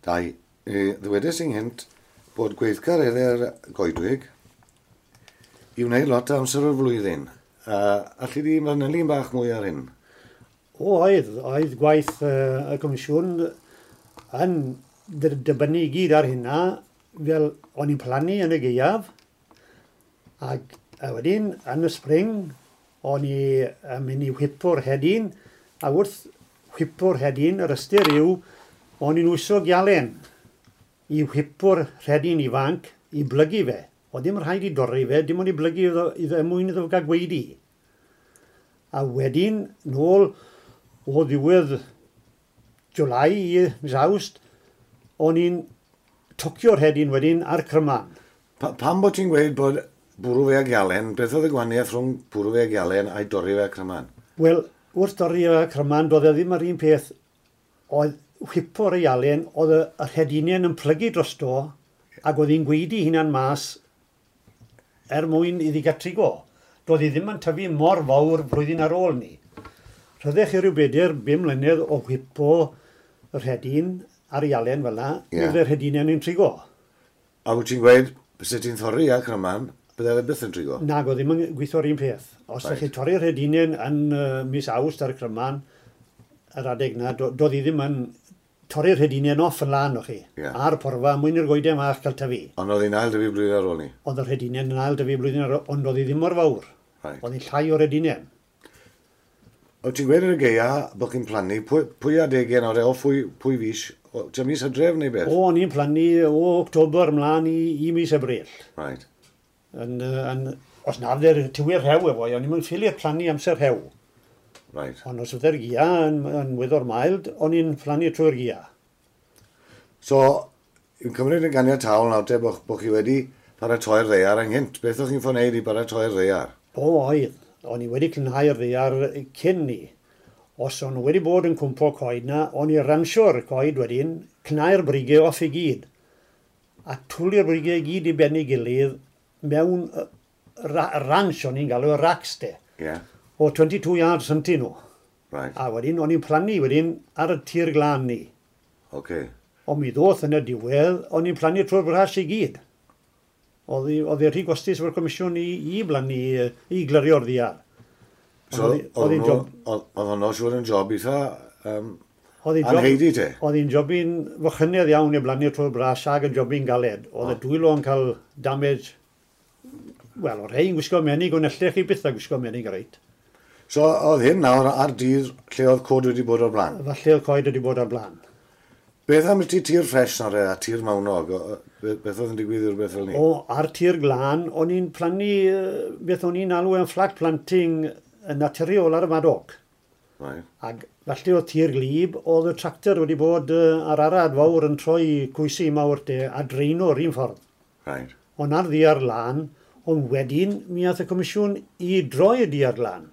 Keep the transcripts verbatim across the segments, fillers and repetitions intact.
Dau, e, ddywedes i'n gynt bod gweithgareddau'r goedwig i wneud lot o amser o'r flwyddyn. Uh, alli di manylu'n bach mwy ar hyn? O, oedd, oedd gwaith uh, y Comisiwn yn dibynnu i gyd ar hynna, fel o'n i'n plannu yn y gaeaf, ac a wedyn yn y spring, o'n i yn mynd i whipo'r hedyn, a wrth whipo'r hedyn, yr ystyr yw, o'n i'n wyso gialen i whipo'r rhedyn ifanc i blygu fe. O ddim rhaid i dorri fe, dim ond i blygu iddo, iddo er mwyn iddo gael gweidi. A wedyn, nôl o ddiwedd July i mis Awst, o'n i'n tocio'r hedyn wedyn ar cryman. Pa, pam bod ti'n gweud bod bwrw fe ag ialen, beth oedd y gwahaniaeth rhwng bwrw fe ag ialen a'i dorri fe â cryman? Wel, wrth dorri fe â cryman, doedd e ddim yr un peth. Oedd whipo'r ialen, oedd y, yr hedinen yn plygu drosto, ac oedd hi'n gweidi hunan mas er mwyn iddi gael trigo. Doedd hi ddim yn tyfu mor fawr flwyddyn ar ôl ni. Rhyddech chi rhyw bedair, bum mlynedd o whipo yr hedyn ar ialen fel yna, yeah. Oedd yr hedinen yn trigo. A wyt ti'n gweud, byse ti'n thorri â cryman, bydde fe byth yn trigo? Nag, oedd ddim yn gweithio'r un peth. Os right. ydych chi torri'r hedinen yn uh, mis Awst ar y cryman, yr adeg na, do, doedd hi ddim yn torri'r hedinen off yn lan o chi, yeah. Ar porfa, mwyn i'r goeden fach cael tyfu. Ond oedd hi'n ail dyfu blwyddyn ar ôl ni? Oedd yr hedinen yn ail dyfu blwyddyn ar ôl, ond oedd hi ddim mor fawr. Right. Oedd hi'n llai o'r hedinen. Oedd ti'n gweud yn y gaea bod chi'n plannu, pwy, pwy adegau nawr e, o phwy, pwy fis? O, tua mis Hydref neu beth? O, o'n i'n plannu o October ymlaen i, i mis Ebrill. Right. Yn, yn, os na fydde'r tywydd rhew efo, o'n i'n ffili'r plannu amser rhew. Right. Ond os fydde'r gia yn, yn weddol mild, o'n i'n plannu trwy'r gia. So, yn cymryd yn ganiataol nawr te bod, bo chi wedi paratoi'r ddaear ynghynt. Beth o'ch chi'n ffordd wneud i baratoi'r ddaear? O, oedd. O'n i wedi clynhau'r ddaear cyn ni. Os o'n nhw wedi bod yn cwmpo coed na, o'n i ransio'r coed wedyn, cnau'r brigau off i gyd. A twli'r brigau i gyd i ben ei gilydd mewn ra ranch o'n i'n galw, racks de. Yeah. O twenty-two yards ynti nhw. Right. A wedyn, o'n i'n plannu wedyn ar y tir glân ni. Okay. Ond mi ddoth yn y diwedd, o'n i'n plannu trwy'r bras i gyd. Oedd hi rhy gostus efo'r comisiwn i, i blannu, i glirio'r ddaear. So, oedd hwnnw siŵr yn job eitha um, anheidi te? Oedd hi'n jobyn fychynedd iawn i blannu trwy'r bras ag yn jobyn galed. Oedd y dwylo yn cael damage, wel, o'r rhai yn gwisgo menig, ond ellech chi byth a gwisgo menig reit. So, oedd hyn nawr ar dir lle oedd coed wedi bod o'r blaen? Falle oedd coed wedi bod o'r blaen. Beth am ti tir ffres nawr a tir mawnog? Beth oedd yn digwydd i'r beth fel ni? O, ar tir glân, o'n i'n plannu beth o'n i'n alw yn flat planting yn naturiol ar y madog. Right. Ac falle oedd tir glib, oedd y tractor wedi bod ar arad fawr yn troi cwysi mawr de a dreino'r un ffordd. Right. Ond ar ddiar lân, ond wedyn mi ath y comisiwn i droi y diar lân.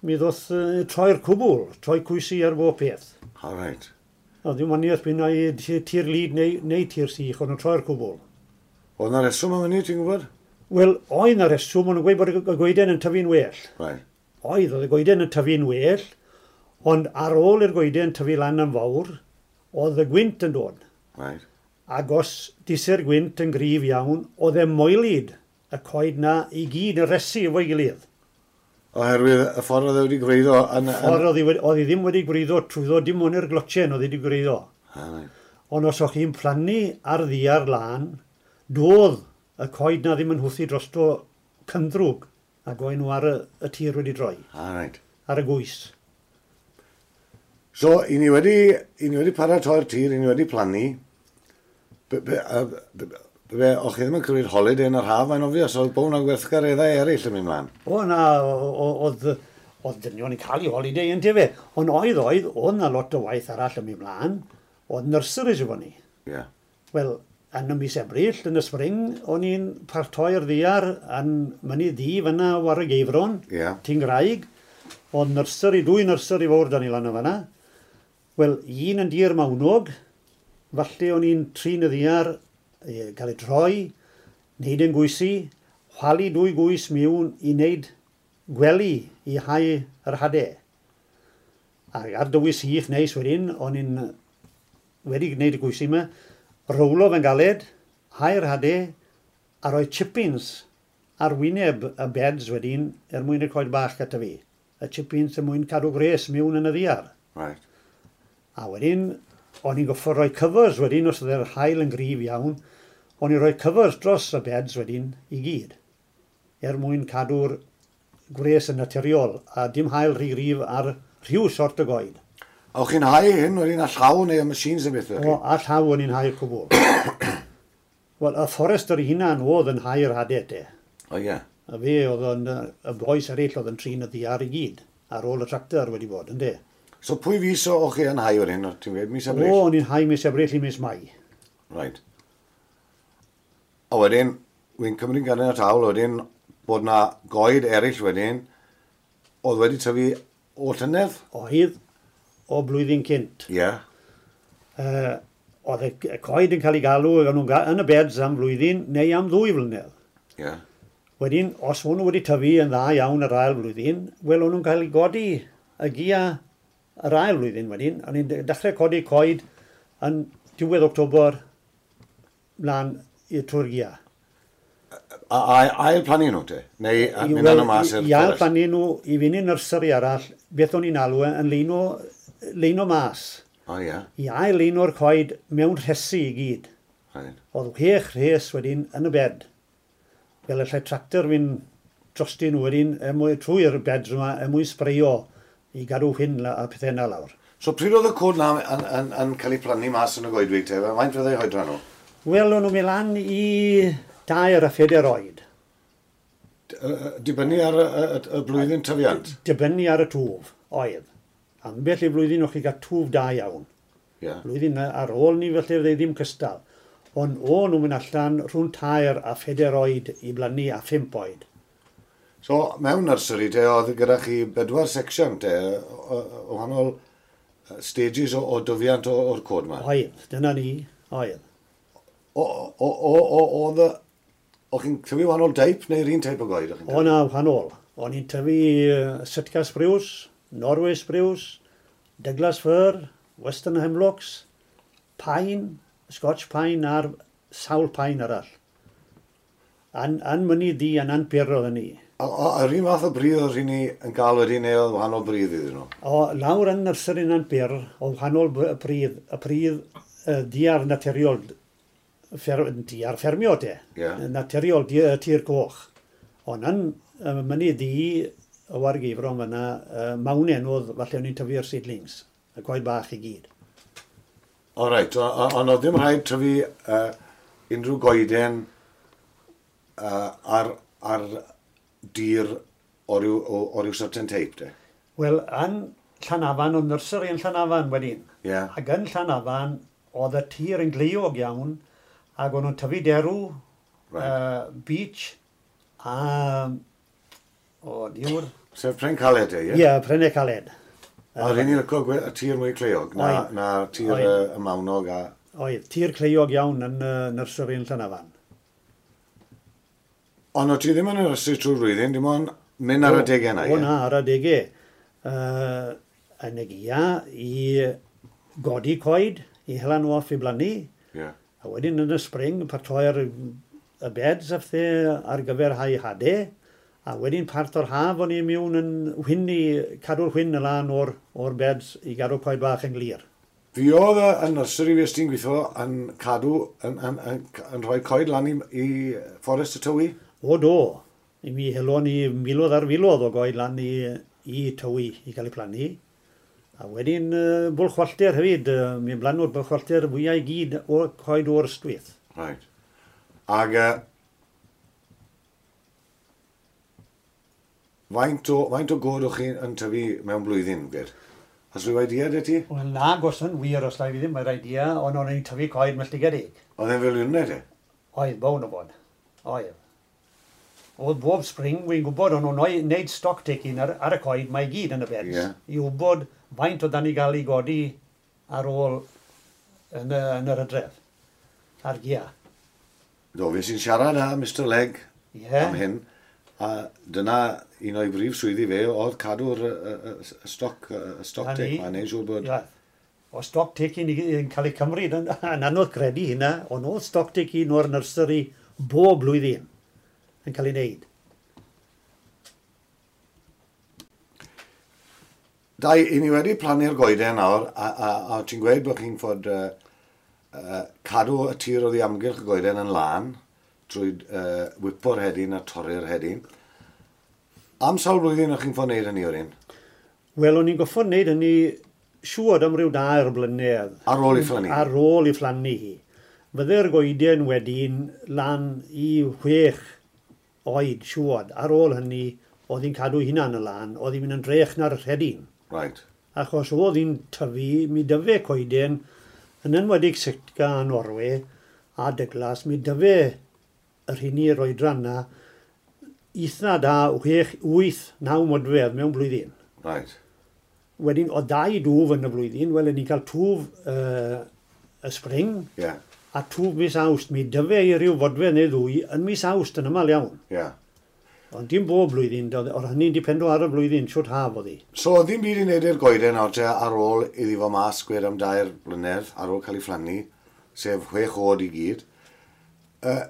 Mi ddoth uh, troi'r cwbl, troi cwysi ar bob peth. All right. O, ddim waniaeth byn ai tir lyd neu, neu tir sych, ond nhw'n troi'r cwbl. Oedd na reswm am hynny, ti'n gwybod? Wel, oedd na reswm, ond nhw'n gweud bod y goeden yn tyfu'n well. Right. Oedd, oedd y goeden yn tyfu'n well, ond ar ôl i'r goeden tyfu lan yn fawr, oedd y gwynt yn dod. Right. Ac os dise'r gwynt yn gryf iawn, oedd e moelyd y coed na i gyd yn resi efo'i gilydd. Oherwydd y ffordd oedd e wedi gwreiddo... Yn, yn... Ffordd oedd hi ddim wedi gwreiddo trwyddo, dim ond i'r glotchen oedd wedi gwreiddo. Ah, right. Ond os o'ch chi'n plannu ar ddiar lân, doedd y coed na ddim yn hwthu drosto cynddrwg ac oedd nhw ar y, y tir wedi droi. Ah, right. Ar y gwys. So, i ni wedi, i ni wedi paratoi'r tir, i ni wedi plannu. Be, be, be, be, o'ch chi ddim yn cymryd holiday yn yr haf, mae'n obvious, oedd bod hwnna'n gweithgareddau eraill yn mynd mlaen. O, na, oedd, oedd dynion yn cael ei holiday yn tefe. Ond oedd, oedd, oedd na lot o waith arall yn mynd mlaen. Oedd nurseries efo ni. Yeah. Wel, yn y mis Ebrill, yn y spring, o'n i'n partoi'r ddiar yn Mynydd Ddu fyna war y Geifron, yeah. Ti'n Graig. Oedd nursery, dwy nursery fawr dan i lan o fyna. Wel, un yn dir mawnog, falle o'n i'n trin y ddiar, cael ei troi, wneud yn gwysi, chwalu dwy gwys miwn i wneud gwely i hau yr hadau. Ac ar dywydd sych neis wedyn, o'n i'n wedi gwneud y gwysi yma, rowlo fe'n galed, hau'r hade, a rhoi chippings ar wyneb y beds wedyn er mwyn y coed bach gyda fi. Y chippings er mwyn cadw gwres mewn yn y ddiar. Right. A wedyn, o'n i'n goffo rhoi covers wedyn, os oedd yr haul yn gryf iawn, o'n i'n rhoi covers dros y beds wedyn i gyd, er mwyn cadw'r gwres yn naturiol a dim haul rhy gryf ar rhyw sort o goed. A o'ch chi'n hau hyn wedyn â llaw neu y machines neu beth? O, a llaw o'n i'n hau'r cwbl. Wel, y fforester ei hunan oedd yn hau'r hadau te. O ie. A fe oedd yn, y bois eraill oedd yn trin y ddiar i gyd, ar ôl y tractor wedi bod, yndê. So pwy fis o'ch chi yn hau wedyn, ti'n gweud, mis Ebrill? O, o'n i'n hau mis Ebrill i mis Mai. Right. A wedyn, wy'n cymryd gan y tawl, wedyn, bod na goed eraill wedyn, oedd wedi tyfu o llynedd? Oedd, o blwyddyn cynt. Ie. Yeah. Uh, oedd y coed yn cael ei galw yn y beds am flwyddyn neu am ddwy flynedd. Ie. Yeah. Wedyn, os o'n nhw wedi tyfu yn dda iawn yr ail flwyddyn, wel o'n nhw'n cael ei godi y gia yr ail flwyddyn wedyn. O'n i'n dechrau codi coed yn diwedd October mlaen i'r trwy'r gia. A, a, ail plannu nhw te? Neu mynd well, mas i'r I ail plannu nhw i fynd i nursery arall, beth o'n i'n alw yn leino, leino mas. O ie. Yeah. I ail leino'r coed mewn rhesi i gyd. Right. Oedd chwech rhes wedyn yn y bed. Fel y lle tractor fynd drostyn nhw wedyn er mwyn, trwy'r beds yma er mwyn sbreio i gadw hyn a pethau yna lawr. So pryd oedd y cod na yn, yn, yn cael ei plannu mas yn y goedwig te? Faint fyddai oedran nhw? Wel, o'n nhw'n mynd lan i dair a phedair oed. Dibynnu ar y, y, y blwyddyn tyfiant? Dibynnu ar y twf, oedd. Ambell i flwyddyn o'ch chi gael twf da iawn. Yeah. Blwyddyn ar ôl ni felly fydde ddim cystal. Ond o'n nhw'n mynd allan rhwng tair a phedair oed i blannu a phump oed. So, mewn nursery te, oedd gyda chi bedwar section te, o, o wahanol stages o, o dyfiant o'r cod yma? Oedd, dyna ni, oedd. O, o, o, o, oedd y... O'ch chi'n tyfu wahanol deip neu'r un teip o goed? O na, wahanol. O'n i'n tyfu Sitka spruce, Norway spruce, Douglas fir, Western hemlocks, pine, Scotch pine a'r sawl pine arall. An, an mynydd di a'n anpur oedden ni. A, yr un fath o bridd oedd rheini yn gael wedyn neu oedd wahanol bridd iddyn nhw? O, lawr yn nursery yn Anpur, oedd wahanol pridd, y pridd uh, diar naturiol, fer, diar ffermio te, yeah. Naturiol di, tir coch. Ond yn uh, mynydd di, o Wargeifron fyna, uh, mawnen oedd falle o'n i'n tyfu'r seedlings, y coed bach i gyd. O reit, ond oedd ddim rhaid tyfu uh, unrhyw goeden uh, ar, ar dir o ryw, o, o ryw certain type, de? Wel, yn Llanafan, oedd nursery yn Llanafan wedyn. Yeah. Ac yn Llanafan, oedd y tir yn gleiog iawn, ac o'n nhw'n tyfu derw, right. uh, beech, a... O, diwr... Sef pren caled, e, ie? Ie, yeah, prennau caled. A rhaid ni'n licio y tir mwy cleiog, na, na tir y, y mawnog a... Oedd, tir cleiog iawn yn uh, nursery yn Llanafan. Ond o ti ddim yn nursery trwy'r flwyddyn, dim ond mynd ar adegau yna, ie? O na, ar adegau. Uh, yn y gia i godi coed, i hela nhw off i blannu. Yeah. A wedyn yn y spring, paratoi'r y beds a phethau ar gyfer hau hadau. A wedyn part o'r haf o'n i mewn yn wynnu, cadw'r chwyn y lan o'r, o'r beds i gadw coed bach yn glir. Fi oedd y nursery fues ti'n gweithio yn cadw, yn, yn, yn, yn rhoi coed lan i, i Fforest y Tywi? O do. I mi helon ni miloedd ar filoedd o goed lan i, i Tywi i gael ei plannu. A wedyn uh, Bwlchwallter hefyd, uh, mi blanw'r Bwlchwallter fwyaf i gyd o coed o'r Ystwyth. Right. Ag uh, faint o, faint o goed o'ch chi yn tyfu mewn blwyddyn, gwed? Oes rhyw idea 'da ti? Wel na, gos yn wir os lai fi ddim mae'r idea, ond o'n i'n tyfu coed melltigedig. Oedd e'n filiynau te? Oedd, bown o bod. Oedd. Oedd bob spring, wy'n gwybod, o'n nhw'n neud stock taking ar, ar y coed, mae i gyd yn y beds. Yeah. I wybod faint oedd dan i gael ei godi ar ôl yn, y, yn yr hydref, ar gia. Do, fe sy'n siarad â Mister Legg yeah. am hyn, a dyna un o'i brif swyddi fe oedd cadw'r y, y, y stock, y stock take, mae'n neud siŵr bod yeah. O stock taking yn cael ei cymryd, yn, yn anodd credu hynna, ond oedd stock taking o'r nursery bob blwyddyn yn cael ei wneud. Dai, i ni wedi plannu'r goeden nawr, a, a, a ti'n gweud bod chi'n fod uh, uh, cadw y tir oddi amgylch y goeden yn lân trwy uh, whipo'r hedyn a torri'r hedyn. Am sawl blwyddyn o'ch chi'n fod wneud hynny o'r un? Wel, o'n i'n goffod wneud hynny siŵr am ryw dair blynedd. Ar ôl i phlannu? Ar ôl i phlannu hi. Fydde'r goeden wedyn lan i chwech oed siŵr. Ar ôl hynny, oedd hi'n cadw hunan y lan, oedd hi'n mynd yn drech na'r rhedyn. Right. Achos oedd hi'n tyfu, mi dyfe coeden, yn enwedig Sitka a Norwy a Douglas, mi dyfe yr hynny i'r oedran na, eitha da chwech, wyth, naw modfedd mewn blwyddyn. Right. Wedyn, o dau dwf yn y blwyddyn, wel, ni'n cael twf uh, y spring, yeah. a twf mis Awst. Mi dyfe i ryw fodfedd neu ddwy yn mis Awst yn aml iawn. Yeah. Ond dim bob blwyddyn, oedd hynny'n dipendo ar y blwyddyn, siwt haf oedd hi. So, oedd ddim byd i wneud i'r goeden nawr te ar ôl iddi fo mas gwed am dair blynedd, ar ôl cael ei phlannu, sef chwech oed i gyd. Uh,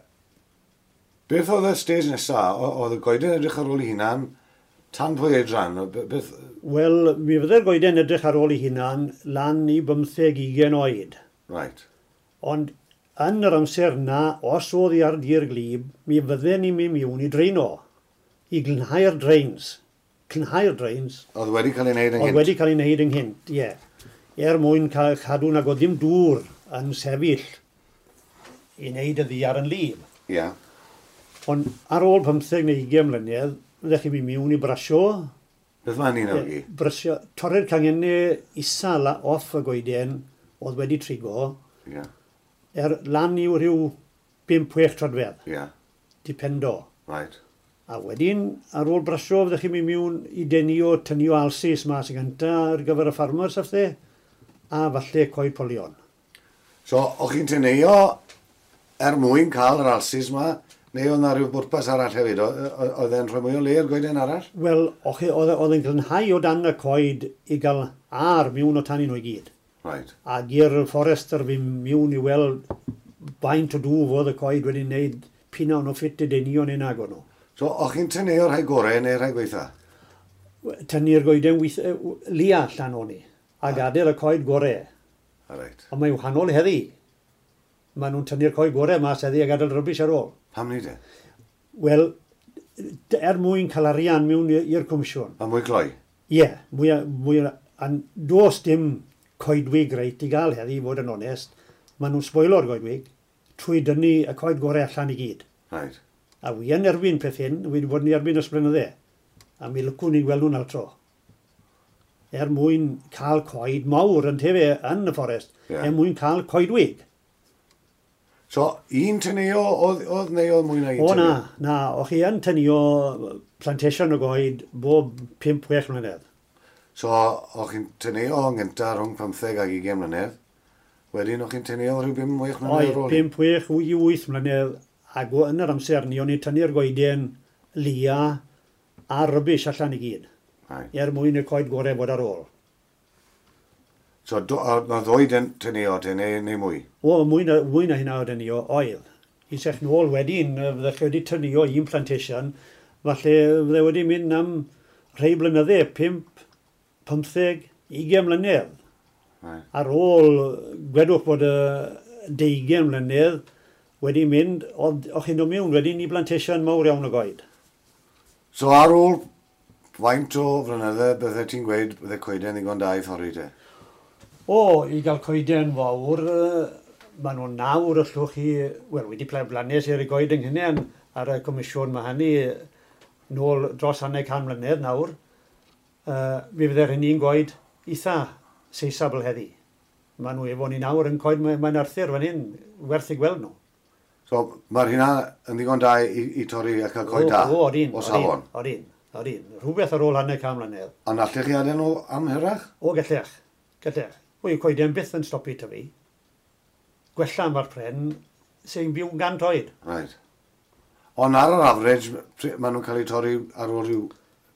beth oedd y stage nesaf? Oedd y goeden edrych ar ôl ei hunan tan pwy oedran? Beth... Wel, mi fydde'r goeden edrych ar ôl ei hunan lan i bymtheg ugain oed. Right. Ond yn yr amser na, os oedd hi ar dir glib, mi fydden ni'n mynd mewn i dreino, i glanhau'r drains. Glanhau'r drains. Oedd wedi cael ei wneud ynghynt? Oedd wedi cael ei wneud ynghynt, ie. Yeah. Er mwyn cael cadw nag oedd ddim dŵr yn sefyll i wneud y ddiar yn lib. Ie. Yeah. Ond ar ôl pymtheg neu ugain mlynedd, fyddech chi'n mynd mewn i brasio. Beth mae'n un o'i? Brasio, torri'r cangennau isa off y goeden oedd wedi trigo. Ie. Yeah. Er lan i'w rhyw bump chwech troedfedd. Ie. Yeah. Dipendo. Right. A wedyn, ar ôl brasio, fyddech chi'n mynd mewn i denio, tynio alsis mas yn gyntaf ar gyfer y ffarmers a phethe, a falle coed polion. So, o'ch chi'n teneuo er mwyn cael yr alsis ma, neu oedd na rhyw bwrpas arall hefyd? Oedd e'n rhoi mwy o le i'r goeden arall? Wel, oedd e'n glanhau o dan y coed i gael ar mewn o tan nhw i gyd. Right. Ac i'r fforester fi mewn i weld faint o dŵf oedd y coed wedi wneud pina o'n o ffit i denio neu nag o'n nhw. So, o'ch chi'n tynnu'r rhai gorau neu'r rhai gweitha? Tynnu'r goeden lia allan o'n i, a gadael y coed gorau. Right. Ond mae'n wahanol heddi. Maen nhw'n tynnu'r coed gorau mas heddi a gadael rubbish ar ôl. Pam ni de? Wel, er mwyn cael arian mewn i'r comisiwn. A mwy cloi? Ie, yeah, mwy, mwy, a does dim coedwig reit i gael heddi, i fod yn onest. Maen nhw'n sboilo'r goedwig trwy dynnu y coed gorau allan i gyd. Right. A wi yn erbyn peth hyn, wi wedi bod yn erbyn ers blynydde. A mi lwcwn ni gweld nhw'n altro. Er mwyn cael coed mawr yn tefe yn y fforest, yeah. Er mwyn cael coedwig. So, un tynio oedd, oedd neu oedd mwy na un O tynio? Na, na. O'ch chi yn tynio plantation o goed bob pump chwech mlynedd. So, o'ch chi'n tynio yn gyntaf rhwng pymtheg ag ugain mlynedd. Wedyn, o'ch chi'n tynio rhyw bum chwech mlynedd ar ôl? Oedd, pump chwech i wyth mlynedd. Ac yn yr amser ni, o'n i'n tynnu'r goeden lia a rubbish allan i gyd. Right. Er mwyn y coed gorau fod ar ôl. So, do, na ddwy tynio te, neu, neu mwy? O, mwy na, mwy na hynna o dynio, oedd. I sech nôl wedyn, fyddech chi wedi tynio un plantation, falle fydde wedi mynd am rhai blynydde, pump, pymtheg, ugain mlynedd. Right. Ar ôl, gwedwch bod y deugain mlynedd, wedi mynd, oedd o'ch chi'n dod mewn wedyn i plantation mawr iawn o goed. So ar ôl faint o flynydde, bydde ti'n gweud bydde coeden ddigon da i thorri te? O, i gael coeden fawr, maen nhw'n nawr allwch chi, wel, wedi blannes i'r goed yng Nghynnen ar y comisiwn mae hynny nôl dros hanner can mlynedd nawr. Uh, mi fydde'r hynny'n goed eitha seisabl heddi. Maen nhw efo ni nawr yn coed, mae'n Arthur fan hyn, werth i gweld nhw. So, mae'r hynna yn ddigon da i, i torri a cael coed da? O, odin, o safon? Odin, odin. Rhywbeth ar ôl hanner can mlynedd. Ond allech chi adael nhw am hirach? O, gallech, gallech. O, yw coeden byth yn stopi tyfu. Gwella mae'r pren sy'n byw gant oed. Right. Ond ar yr average, maen nhw'n cael eu torri ar ôl rhyw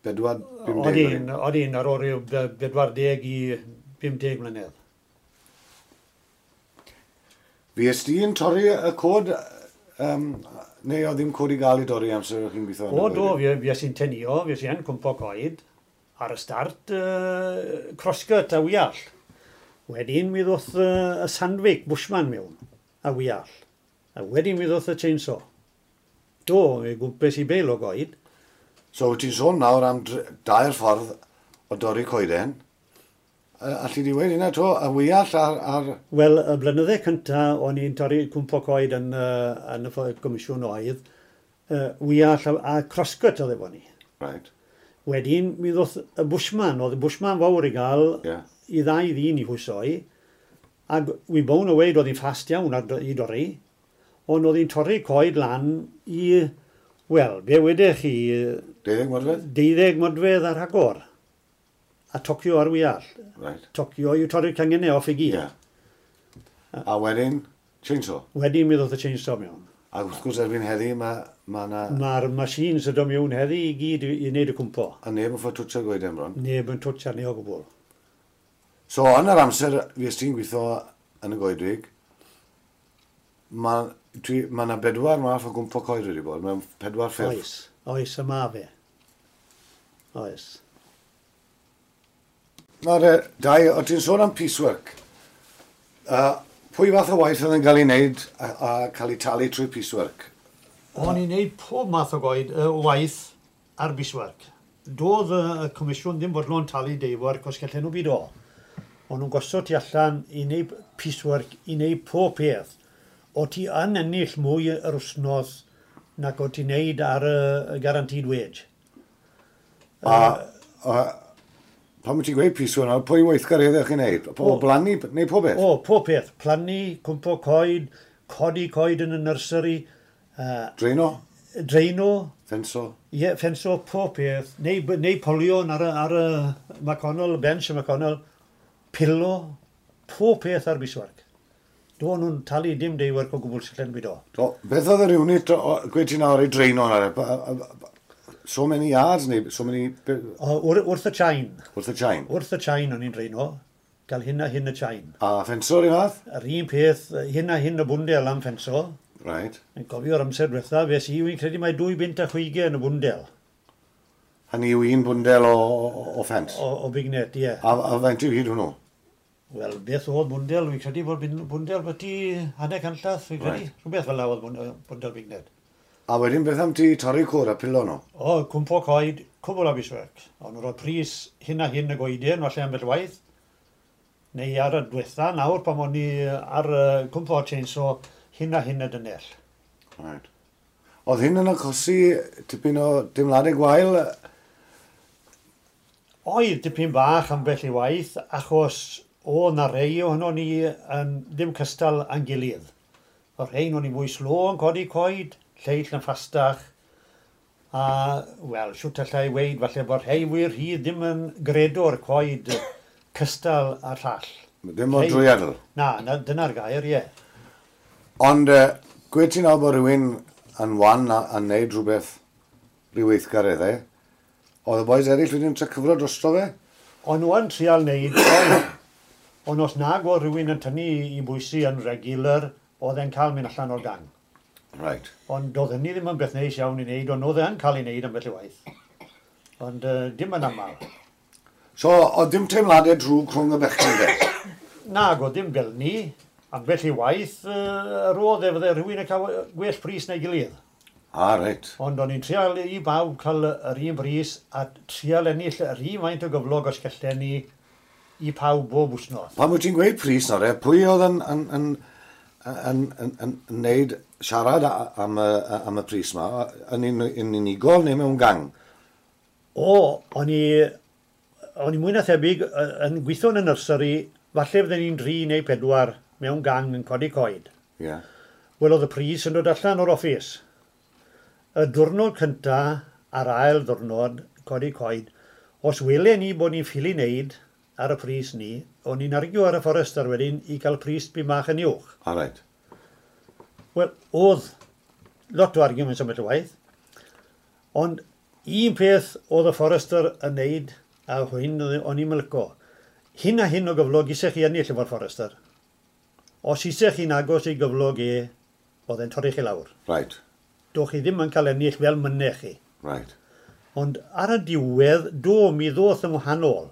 bedwar, pum deg? Odin, odin, ar ôl rhyw bedwar deg i pum deg mlynedd. Fues di'n torri y coed, um, neu oedd ddim coed i gael i dorri amser o'ch chi'n gweithio? O, do, fi, fues i'n tenio, fues i yn cwmpo coed, ar y start, uh, crosscut a wiall. Wedyn mi ddoth uh, y Sandvik Bushman mewn, a wiall. A wedyn mi ddoth y chainsaw. Do, mi gwmpes i beil o goed. So, wyt ti'n sôn nawr am dair ffordd o dorri coeden. Alli di weud hynna 'to, y wiall ar... ar... Wel, y blynydde cynta o'n i'n torri cwmpo coed yn, uh, yn y comisiwn oedd, uh, wiall a, a crosscut oedd efo ni. Right. Wedyn, mi ddoth y Bushman, oedd y Bushman fawr i gael yeah. i ddau ddyn i hwysoi, ac wi bown o weud oedd hi'n fast iawn ar, i dorri, ond oedd hi'n torri coed lan i, wel, be wedech chi... Deuddeg modfedd? Deuddeg modfedd ar agor. A tocio ar wiall. Right. Tocio yw torri'r cangennau off i gyd. Yeah. A wedyn, chainsaw? Wedyn mi ddoth y chainsaw mewn. A wrth gwrs erbyn heddi, mae ma na... Mae'r machines yn dod mewn heddi i gyd i, i wneud y cwmpo. A neb yn ffordd twtsio'r goeden bron? Neb yn twtio ni o gwbl. So, yn yr amser fues ti'n gweithio yn y goedwig, mae ma na bedwar math o gwmpo coed wedi bod, mewn pedwar ffurf. Oes, oes, y ma fe. Oes. Nawr, Dai, o ti'n sôn am piecework. Uh, pwy fath o waith oedd yn cael ei wneud a, a cael ei talu trwy piecework? O'n i'n wneud pob math o goed, uh, waith ar piecework. Doedd y, y comisiwn ddim fodlon talu daywork os gallen nhw byd o. O'n nhw'n gosod ti allan i wneud piecework, i wneud pob peth. O ti yn ennill mwy yr wythnos nag o ti'n wneud ar y, y guaranteed wage. A, a pan wyt ti'n gweud piecework nawr, pwy weithgareddau chi'n neud? Po, blannu, neu pob beth? O, pob peth. Plannu, cwmpo coed, codi coed yn y nursery. Uh, Dreino? Dreino. Ffenso? Ie, yeah, ffenso, pob peth. Neu, neu polion ar y, ar y McConnell, bench y McConnell. Pilo, pob peth ar piecework. Do nhw'n talu dim daywork o gwbl sy'n byd o. Do, beth oedd yr unit, gweud ti nawr i dreino nawr? So many yards neu so many... O, wr, wrth y chain. Wrth y chain? Wrth y chain o'n i'n dreino. Gael hyn a hyn y chain. A ffenso'r un fath? Yr un peth, hyn a hyn y bwndel am ffenso. Right. Yn gofio'r amser diwetha, fes i, wy'n credu mai dwy bunt a chwigen y bwndel. Hynny yw un bwndel o, o, o ffens? O, o big net, ie. Yeah. A, a faint yw hyd hwnnw? Wel, beth oedd bwndel, wy'n credu bod bwndel byti hanner canllath, wy'n credu. Right. Rhywbeth fel la oedd bwndel big net. A wedyn beth am ti torri cwr a pilo nhw? O, cwmpo coed, cwbl o piecework. O'n nhw'n rhoi pris hyn a hyn y goeden, falle ambell waith. Neu ar y diwetha nawr, pan o'n i ar uh, cwmpo chainsaw, hyn a hyn y dynnell. Right. Oedd hyn yn achosi tipyn o deimladau gwael? Oedd dipyn bach ambell i waith, achos o na rei ohono ni yn ddim cystal â'n gilydd. O rhein o'n i mwy slo yn codi coed, lleill yn ffastach, a, wel, siwt allai weud, falle bod rhei wir rhydd ddim yn gredo'r coed cystal a'r llall. Ddim mor drwyadl? Na, na, dyna'r gair, ie. Ond, uh, gweud ti'n nawr bod rhywun yn wan a, a neud rhywbeth, rhyw weithgareddau, oedd y boys eraill wedi'n trio cyfro drosto fe? O'n nhw yn trial neud, ond, ond os nag oedd rhywun yn tynnu i bwysi yn regular, oedd e'n cael mynd allan o'r gang. Right. Ond doedd hynny ddim yn beth neis iawn i wneud, ond oedd e'n cael ei wneud ambell i waith. Ond uh, dim yn aml. So, oedd dim teimladau drwg rhwng y bechgyn de? Nag, oedd dim fel ni. Ambell i waith, uh, roedd e fydde rhywun yn cael gwell pris na'i gilydd. Ah, reit. Ond o'n i'n trial i bawb cael yr un bris a trial ennill yr un faint o gyflog os gallen ni i pawb bob wythnos. Pan wyt ti'n gweud pris nawr, e, pwy oedd yn, yn, yn, yn, yn, yn, yn neud siarad am y, am y pris ma, yn, un, yn unigol neu mewn gang? O, o'n i, o'n i mwy na thebyg yn gweithio yn y nursery, falle fydden ni'n dri neu pedwar mewn gang yn codi coed. Ie. Yeah. Wel, oedd y pris yn dod allan o'r office. Y diwrnod cynta a'r ail ddiwrnod codi coed, os welen ni bod ni'n ffili wneud ar y pris ni, o'n i'n argue ar y forester wedyn i gael pris byn bach yn uwch. Ah, reit. Wel, oedd lot o arguments am y waith, ond un peth oedd y forester yn neud, a hyn o'n i'n mylico, hyn a hyn o gyflog isech chi ennill efo'r forester. Os eisiau chi'n agos i gyflog e, oedd e'n torri chi lawr. Right. Doch chi ddim yn cael ennill fel mynnech chi. Right. Ond ar y diwedd, do, mi ddoth yn wahanol.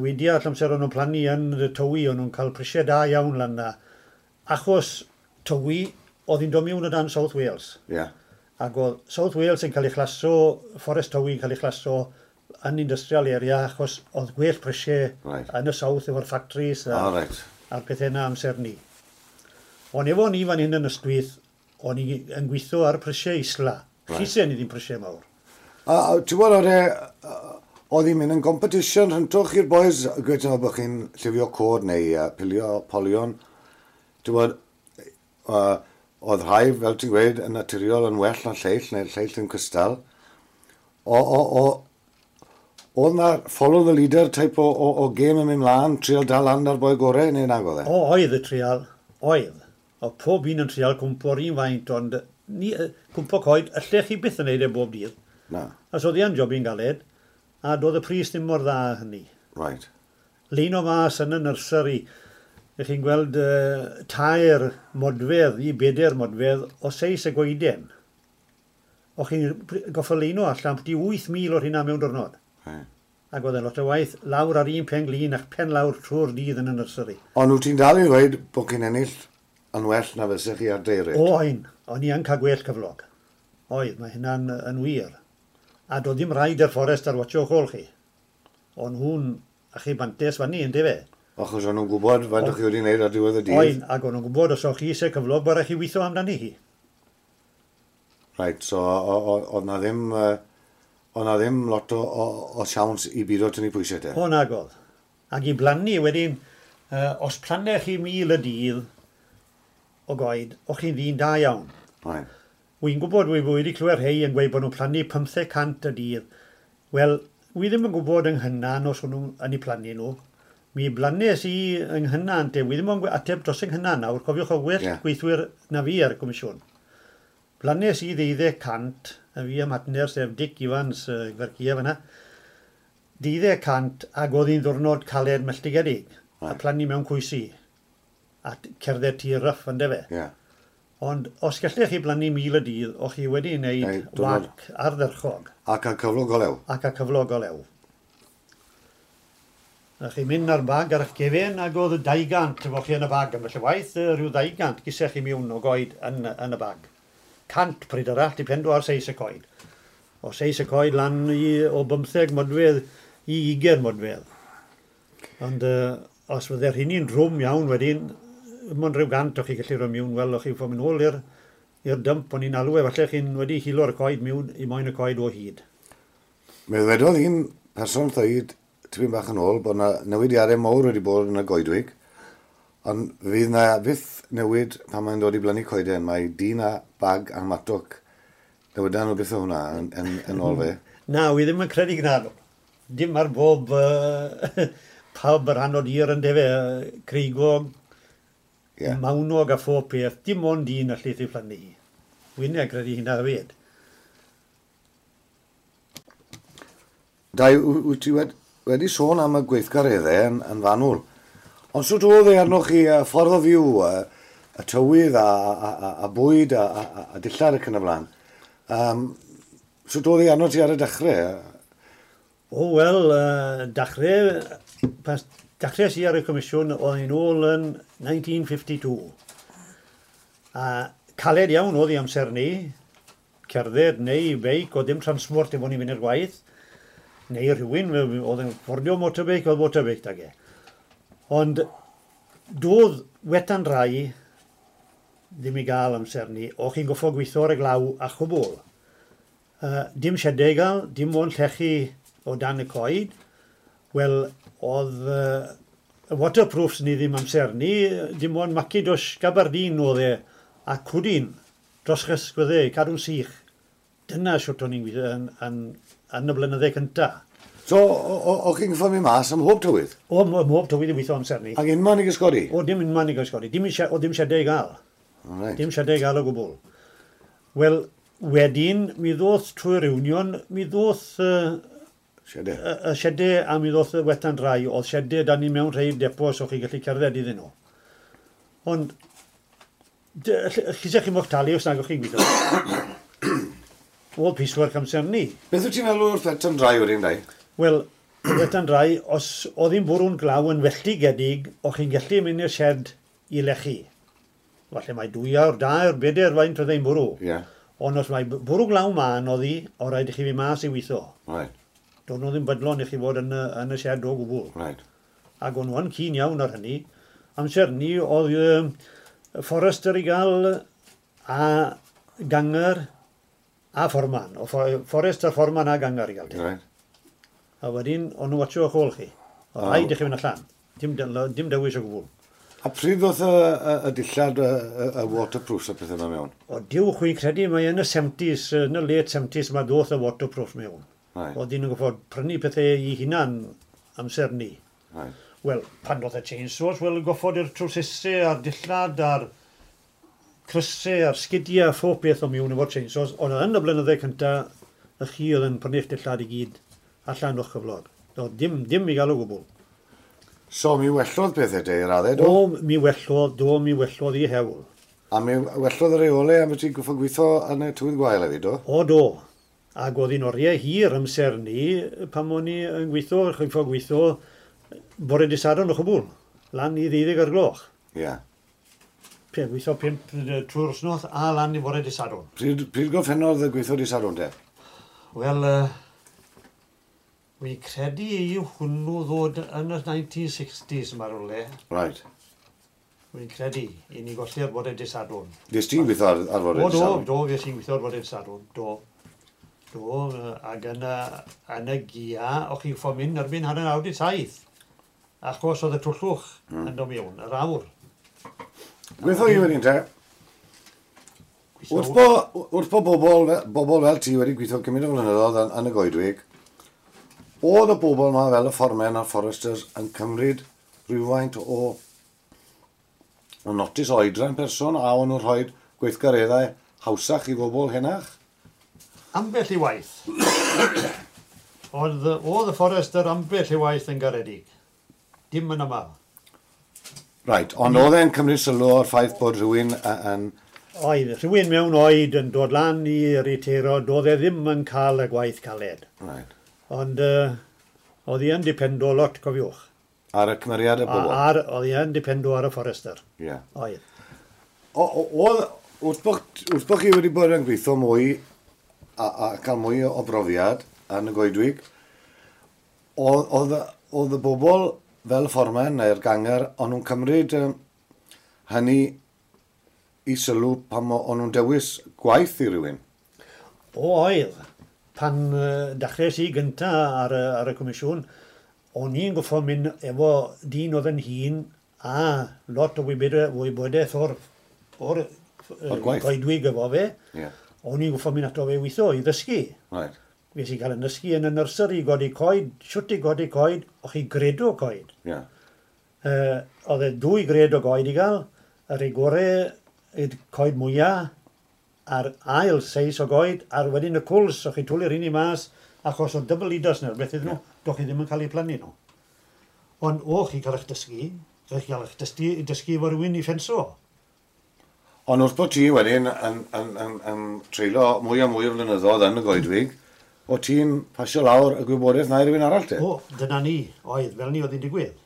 Wedi all amser o'n nhw'n plannu yn y Tywi, o'n nhw'n cael prisiau da iawn lan na. Achos Tywi, oedd hi'n dod mewn o dan South Wales. Yeah. Ac oedd South Wales yn cael ei chlaso, Fforest Tywi yn cael ei chlaso yn industrial area, achos oedd gwell prisiau right. yn y South efo'r factories a, oh, right. a'r pethau yna amser ni. Ond efo ni fan hyn yn Ystwyth, o'n i yn gweithio ar prisiau isla. Right. Chisen ni ddim prisiau mawr. A, a ti'n gwybod, oedd e, oedd hi'n mynd yn competition rhyntwch i'r boys, gweud yna bod chi'n llifio cod neu uh, pilio polion. Ti'n gwybod, uh, oedd rhai, fel ti'n gweud, yn naturiol yn well na lleill, neu lleill yn cystal. O, o, o, oedd na follow the leader type o, o, o game yn mynd mlaen, trial dal lan ar boi gorau, neu nag oedd e? O, oedd y trial, oedd. O, pob un yn trial cwmpo'r un faint, ond ni, cwmpo coed, allech chi byth yn neud e bob dydd. Na. A so oedd hi'n job i'n galed, a doedd y pris ddim mor dda hynny. Right. Leino mas yn y nursery, ych chi'n gweld uh, tair modfedd i bedair modfedd o seis y goeden. O'ch chi'n goffo leino allan byti wyth mil o'r hynna mewn diwrnod. Right. Ac oedd e'n lot o waith lawr ar un pen glin ac pen lawr trwy'r dydd yn y nursery. Ond wyt ti'n dal i ddweud bod chi'n ennill yn well na fysech chi ar day rate? O, ein. O'n i yn cael gwell cyflog. Oedd, mae hynna'n yn wir. A doedd ddim rhaid i'r fforest ar watcho o'ch ôl chi. O'n nhw'n a chi bantes fyny, yndyfe? Achos o'n nhw'n gwybod faint o'ch chi wedi wneud ar diwedd y dydd? Oen, ac o'n nhw'n gwybod os o'ch chi eisiau cyflog, bod rhaid chi weithio amdani hi. Right, so oedd na ddim, oedd na ddim lot o, o, o siawns i bido tynnu pwysau te? O, nag oedd. Ac i blannu wedyn, uh, os plannech chi mil y dydd o goed, o'ch chi'n ddyn da iawn. Right. Wy'n gwybod, wy wedi clywed rhai yn gweud bod nhw'n plannu pymtheg cant y dydd. Wel, wi ddim yn gwybod yng Nghynan os o'n nhw'n yn eu plannu nhw. Mi blannes i yng Nghynan, te. Wi ddim yn ateb dros yng Nghynan nawr, cofiwch o well yeah. gweithwyr na fi ar y comisiwn. Blannes i ddeuddeg cant, a fi am hatner, sef Dick Evans, uh, Gwercia fyna, deuddeg cant ac oedd hi'n ddwrnod caled melltigedig, right. a plannu mewn cwysi, a cerdded tir rough, yndyfe. Yeah. Ond os gallech chi blannu mil y dydd, o'ch chi wedi wneud wac ardderchog. Ac a cyflog o lew. Ac a cyflog o lew. A chi'n mynd ar bag ar eich gefen ac oedd y dau gant efo chi yn y bag. Ambell y waith, rhyw ddau gant gysech chi mewn o goed yn, yn y bag. Cant pryd arall, dipendo ar seis y coed. O seis y coed lan i, o bymtheg modfedd i ugain modfedd. Ond uh, os fydde'r hynny'n drwm iawn wedyn, mond rhyw gant o'ch chi gallu rhoi mewn, wel, o'ch chi'n fod mynd ôl i'r i'r dump o'n i'n alw e, falle chi'n wedi hilo'r coed mewn i moyn y coed o hyd. Mi ddwedodd un person ddweud tipyn bach yn ôl bod yna newidiadau mawr wedi bod yn y goedwig, ond fydd na fyth newid pan mae'n dod i blannu coeden, mae dyn a bag a matwc. Newidan nhw byth o hwnna yn, yn, yn ôl fe. Na, wi ddim yn credu gyda nhw. Dim ar bob uh, pawb yr rhan o dir yn defe, creigog, yeah. mawnog a phob peth, dim ond un allith ei phlannu hi. Wy'n credu hynna hefyd. Dai, wyt ti wedi, wedi sôn am y gweithgareddau yn, yn fanwl. Ond sut oedd e arnoch chi y ffordd o fyw, y, y tywydd a, a, a, a bwyd a, a, a dillad ac yn y blaen? Um, sut oedd e arno ti ar y dechrau? O, wel, uh, dechrau, pas, dechrau si ar y comisiwn oedd hi'n ôl yn nineteen fifty-two. A caled iawn oedd i amser ni, cerdded neu beic, oedd dim transport efo ni fynd i'r gwaith, neu rhywun, oedd yn ffordio motorbike, oedd motorbike dag e. Ond doedd wetan rai ddim i gael amser ni, o'ch chi'n goffo gweithio ar y glaw a chwbl. Uh, dim siedau i gael, dim ond llechi o dan y coed. Wel, oedd uh, waterproofs ni ddim amser ni, dim ond macidosh gabardine oedd e, a cwdin dros chysgwyddau, cadw'n sych. Dyna siwt o'n i'n gweithio yn, yn, yn y blynydde cynta. So, o'ch chi'n gyffo mynd mas am mhob tywydd? O, mhob tywydd i weithio amser ni. Ac unman i gysgodi? O, dim unman i gysgodi. Dim, o, dim siedau i gael. Right. Dim siedau i gael o gwbl. Wel, wedyn, mi ddoth trwy'r union, mi ddoth uh, siedau. Y, y siedau a mi ddoth y wetan rai. Oedd siedau dan ni mewn rhai depos o'ch chi'n gallu cerdded iddyn nhw. Ond, chi sech chi'n moch talu os nag o'ch chi'n gweithio. Oedd piecework amser ni. Beth wyt ti'n meddwl wrth wet and dry wedyn, Dai? Wel, wet and dry, os oedd hi'n bwrw'n glaw yn felltigedig, o'ch chi'n gallu mynd i'r shed i lechu. Falle mae dwy awr, dair, bedair faint oedd hi'n bwrw. Ie. Yeah. Ond os mae bwrw glaw mân oedd hi, o rhaid i chi fynd mas i weithio. Right. Do'n nhw ddim bydlon i chi fod yn y, yn y shed o gwbl. Right. Ac o'n nhw yn keen iawn ar hynny. Amser ni oedd um, Forester i gael a ganger a fforman. O Forester, fforman a ganger i gael. Right. A wedyn, o'n nhw'n watcho o'ch ôl chi. O Oh. rhaid i chi fynd allan. Dim, dim dewis o gwbl. A pryd ddoth y, y, y dillad, y, y, y waterproofs a pethau yma mewn? O diw, chwi'n credu mae yn y seventies, yn y late seventies, mae ddoth y waterproof mewn. Right. Oedd dyn nhw'n gorfod prynu pethau i hunan amser ni. Right. Wel, pan ddoth y chainsaws, wel, goffod i'r trwsesau a'r dillad a'r crysau a'r sgidiau a phob beth o mewn efo'r chainsaws. Ond yn y blynydde cyntaf, y chi oedd yn prynu'ch dillad i gyd allan o'ch cyflog. Do, dim, dim i gael o gwbl. So, mi wellodd pethau te i raddau, do? Do, mi wellodd, do, mi wellodd i hewl. A mi wellodd y reolau am ti goffod gweithio yn y tywydd gwael hefyd, do? O, do. Ac oedd hi'n oriau hir amser ni, pan o'n i yn gweithio, chi'n ffordd gweithio, bore dydd Sadwrn o chwbl, lan i ddeuddeg o'r gloch. Ie. Yeah. Pe, gweithio pump yy, trwy'r wsnos a lan i bore dydd Sadwrn. Pryd, pryd gorffennodd y gweithio dydd Sadwrn te? Wel, uh, wi credu i hwnnw ddod yn y nineteen sixties yma rhywle. Right. Wi'n credu i ni golli'r bore dydd Sadwrn. Nes ti'n gweithio ar, ar fore O, dydd do, Sadwrn? Do, fe sy'n gweithio ar bore dydd Sadwrn, do. Do, yy, ac yn y, yn y gia, o'ch chi'n ffo mynd erbyn hanner awr di saith. Achos oedd y twllwch mm. yn dod mewn, yr awr. Gweithio i wedyn te. Wrth bo, wrth bo bobl, fe- bobl fel ti wedi gweithio cymaint o flynyddoedd yn, yn y goedwig, oedd y bobl yma fel y fformen a'r foresters yn cymryd rhywfaint o, o notice o oedran person a o'n nhw'n rhoi gweithgareddau hawsach i bobl henach? Ambell i waith. Oedd, oedd y forester ambell i waith yn garedig. Dim yn aml. Right, ond oedd e'n cymryd sylw o'r ffaith bod rhywun y- yn... Oedd, rhywun mewn oed yn dod lan i riteiro, doedd e ddim yn cael y gwaith caled. Right. Ond uh, oedd hi yn dependo lot, cofiwch. Ar y cymeriad y A, bobl? ar, oedd hi yn dependo ar y forester. Ie. Oedd. O- o- Oedd, wrth bo, wrth bo chi wedi bod yn gweithio mwy a, a cael mwy o brofiad yn y goedwig, oedd, oedd, oedd y bobl fel y fformen neu'r ganger, o'n nhw'n cymryd um, hynny i sylw pan o- o'n nhw'n dewis gwaith i rywun. O, oedd. Pan uh, dechreuais i gynta ar, y, ar y comisiwn, o'n i'n goffo mynd efo dyn oedd yn hŷn a lot o wybodaeth, wybodaeth o'r, o'r, O'r gwaith. goedwig efo fe. Ie. O'n i'n goffo mynd ato fe weithio i ddysgu. Right. Fes i gael yn dysgu yn y nursery i godi coed, siwt i godi coed, o'ch chi gredo coed. Ie. Uh, oedd e dwy gred o goed i gael, y rhai gore, y coed mwyaf, a'r ail seis o goed, a'r wedyn y cwls, o'ch chi twlu'r un i mas, achos o double leaders neu beth iddyn nhw, yeah. Doch chi ddim yn cael eu plannu nhw. Ond o chi cael eich dysgu, o'ch chi cael eich dysgu, dysgu efo rhywun i ffenso. Ond wrth bod ti wedyn yn, yn, yn, yn treulio mwy a mwy o flynyddoedd yn y goedwig, o ti'n pasio lawr y gwybodaeth na i rywun arall te? O, dyna ni, oedd, fel ni oedd hi'n digwydd.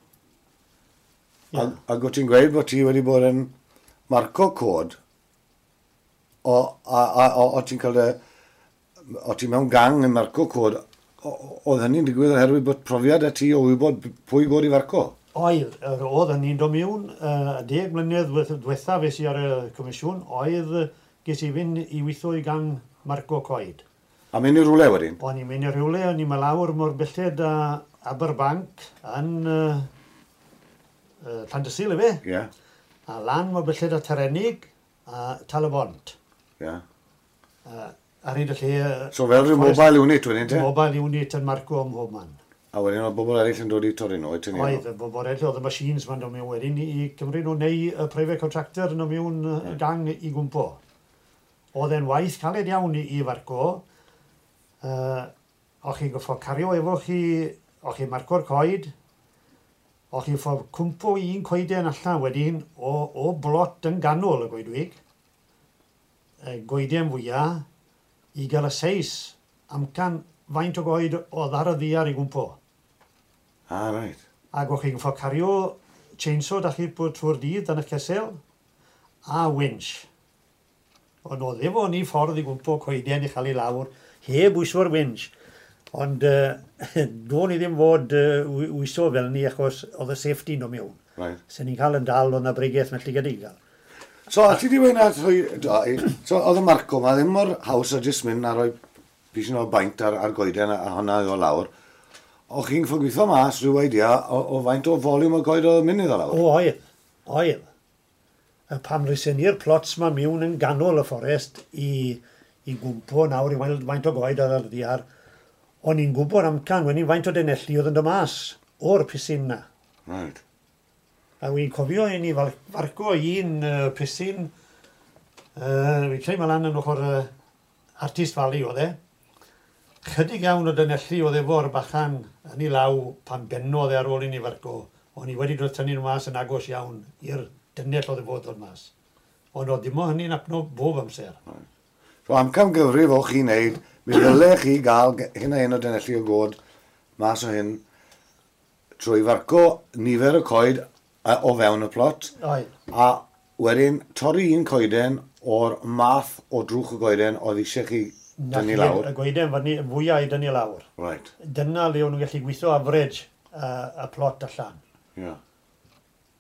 Ie. Ac, ac o ti'n gweud bod ti wedi bod yn marco cod, o, a, a, o, o ti'n cael dy, o ti mewn gang yn marco cod, oedd hynny'n digwydd oherwydd bod profiad a ti o wybod pwy god i farco? Oedd, yr oedd hynny'n dod mewn, uh, deg mlynedd diwetha fes i ar y comisiwn, oedd ges i fynd i weithio i gang marco coed. A mynd i rhywle wedyn? O'n i'n mynd i rhywle, o'n i'n mynd lawr mor belled a Aberbank yn uh, uh, Llandysul, efe? Ie. Yeah. A lan mor belled a Tarenig a Tal-y-bont. Ie. Yeah. Uh, ar hyd y lle... So fel rhyw mobile unit wedyn te? Mobile unit yn marco ym mhob man. A wedyn oedd bobl eraill yn dod i torri nhw, i tynnu? Oedd, y bobl eraill, oedd y machines ma'n dod mewn wedyn i cymryd nhw neu y private contractor yn dod mewn yeah. gang i gwmpo. Oedd e'n waith caled iawn i, i farco. Uh, o'ch chi'n goffo cario efo chi, o'ch chi'n marco'r coed, O'ch chi'n ffordd cwmpo un coeden allan wedyn o, o blot yn ganol y goedwig, y goeden fwyaf, i gael y seis amcan faint o goed oedd ar y ddiar i gwmpo. Ah, reit. Ac o'ch chi'n ffordd cario chainsaw da chi trwy'r dydd dan eich cesel, a winch. Ond oedd efo ni ffordd i gwmpo coeden i chael ei lawr, heb wyso'r winch. Ond uh, do'n i ddim fod uh, wyso fel ni achos oedd y safety no mewn. Right. Sen ni'n cael yn dal oedd na bregaeth melltigedig gael. So, a ti di weud na, so, oedd y marco ma ddim mor haws a jyst mynd a rhoi pisyn o baint ar, ar goeden a, a hwnna i o lawr. O'ch chi'n ffod gweithio mas rhyw idea o, o faint o volume o goed oedd yn mynd iddo lawr? O, oedd. Oedd. Y pam rysen ni'r plots ma mewn yn ganol y fforest i, i gwmpo nawr i weld faint o goed oedd ar y ddiar, o'n i'n gwybod amcan wedyn faint o denelli oedd yn dod mas o'r pisyn na. Right. A wy'n cofio i ni farco un uh, pisyn, uh, fi'n credu mae lan yn ochr uh, Artist Valley oedd e. Chydig iawn o dynelli oedd efo'r bachan yn ei law pan bennodd e ar ôl i ni farco. O'n i wedi dod tynnu nhw mas yn agos iawn i'r dynnell oedd e fod ddod mas. Ond oedd dim o hynny'n apno bob amser. Right. So amcan gyfrif o'ch chi'n neud, mi ddyle chi gael hyn a hyn o dynelli o god mas o hyn trwy farco nifer y coed o fewn y plot. Oedd. A wedyn torri un coeden o'r math o drwch y goeden oedd eisiau chi dynnu lawr. Y goeden fyny fwyaf i dynnu lawr. Right. Dyna le o'n nhw'n gallu gweithio average uh, y plot allan. Yeah.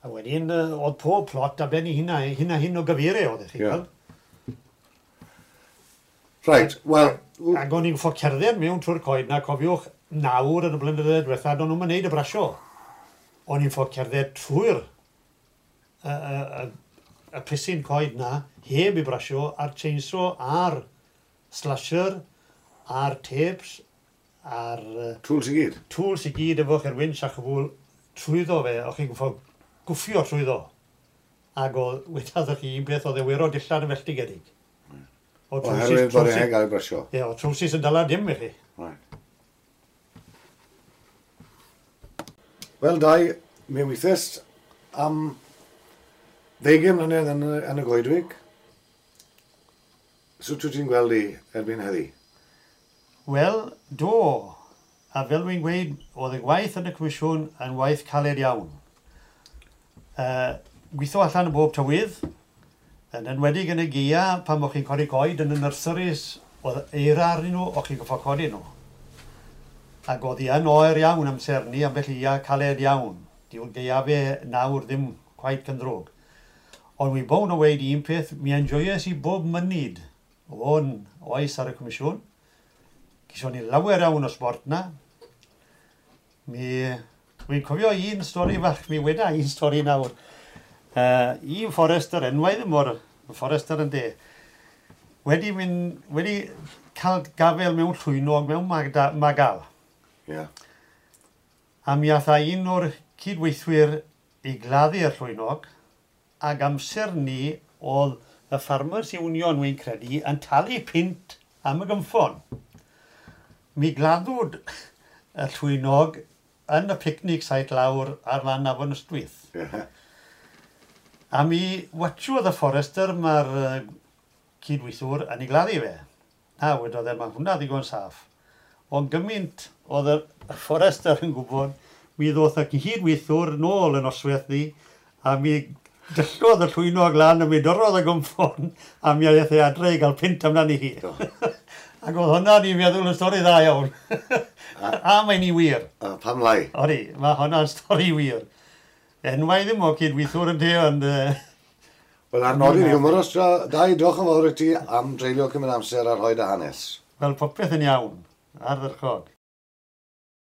A wedyn oedd pob plot a ben i hynna, hynna hyn o gyfeiriau oedd chi. Yeah. Right, wel... Ac o'n i'n ffo cerdded mewn trwy'r coed na, cofiwch, nawr yn y blynyddoedd diwetha, do'n nhw'n wneud y brasio. O'n i'n ffo cerdded trwy'r y, y, y, y pisyn coed na, heb i brasio, a'r chainsaw, a'r slasher, a'r tapes, a'r... Tools i gyd? Tools i gyd efo chi'r winch a chwbl trwyddo fe, o'ch chi'n gwffo gwffio trwyddo. Ac oedd, wedodd chi un beth, oedd e wero dillad yn felltigedig. Oherwydd bod e'n gael ei brasio. Ie, o trowsus yn dala dim i chi. Right. Wel, Dai, mi weithiais am ddeugain mlynedd yn, yn y goedwig. Sut wyt ti'n gweld i erbyn heddi? Wel, do. A fel wy'n gweud, oedd y gwaith yn y comisiwn yn waith caled iawn. Uh, gweithio allan y bob tywydd, yn enwedig yn y gaea, pan o'ch chi'n codi coed yn y nurseries, oedd eira arnyn nhw, o'ch chi'n goffo codi nhw. Ac oedd hi yn oer iawn amser ni, ambell ia caled iawn. Dyw'r gaeafe nawr ddim quite cyndrwg. Ond wi bown o weud un peth, mi enjoyes i bob munud o'n oes ar y comisiwn. Gyson ni lawer iawn o sport na. Mi, wi'n cofio un stori fach, mi weda un stori nawr. Uh, un forester, enwau ddim o'r forester yn de, wedi, mynd, wedi cael gafel mewn llwynog, mewn magda, magal. Yeah. A mi ath un o'r cydweithwyr i gladdu'r llwynog, ac amser ni oedd y Farmers Union, wy'n credu, yn talu pint am y gymffon. Mi gladdwyd y llwynog yn y picnic site lawr ar lan Afon Ystwyth. Yeah. A mi watchodd y forester mae'r uh, cydweithwr yn ei gladdu fe. Na, wedodd e, mae hwnna ddigon saff. Ond gymaint oedd y forester yn gwybod, mi ddoth y cydweithwr nôl yn oswaith ddi, a mi dyllodd y llwynog lan, a mi dorrodd y gymffon, a mi aeth e adre i gael pint amdani hi. Ac oedd hwnna ni'n meddwl yn stori dda iawn. A, a mae'n i wir. A pam lai? Odi, mae hwnna'n stori wir. Enwau ddim o cydweithwr yn te, ond... Wel, ar nodyn humorous, Dai, diolch yn fawr i ti am dreulio cymryd amser a rhoi dy hanes. Wel, popeth yn iawn, ardderchog.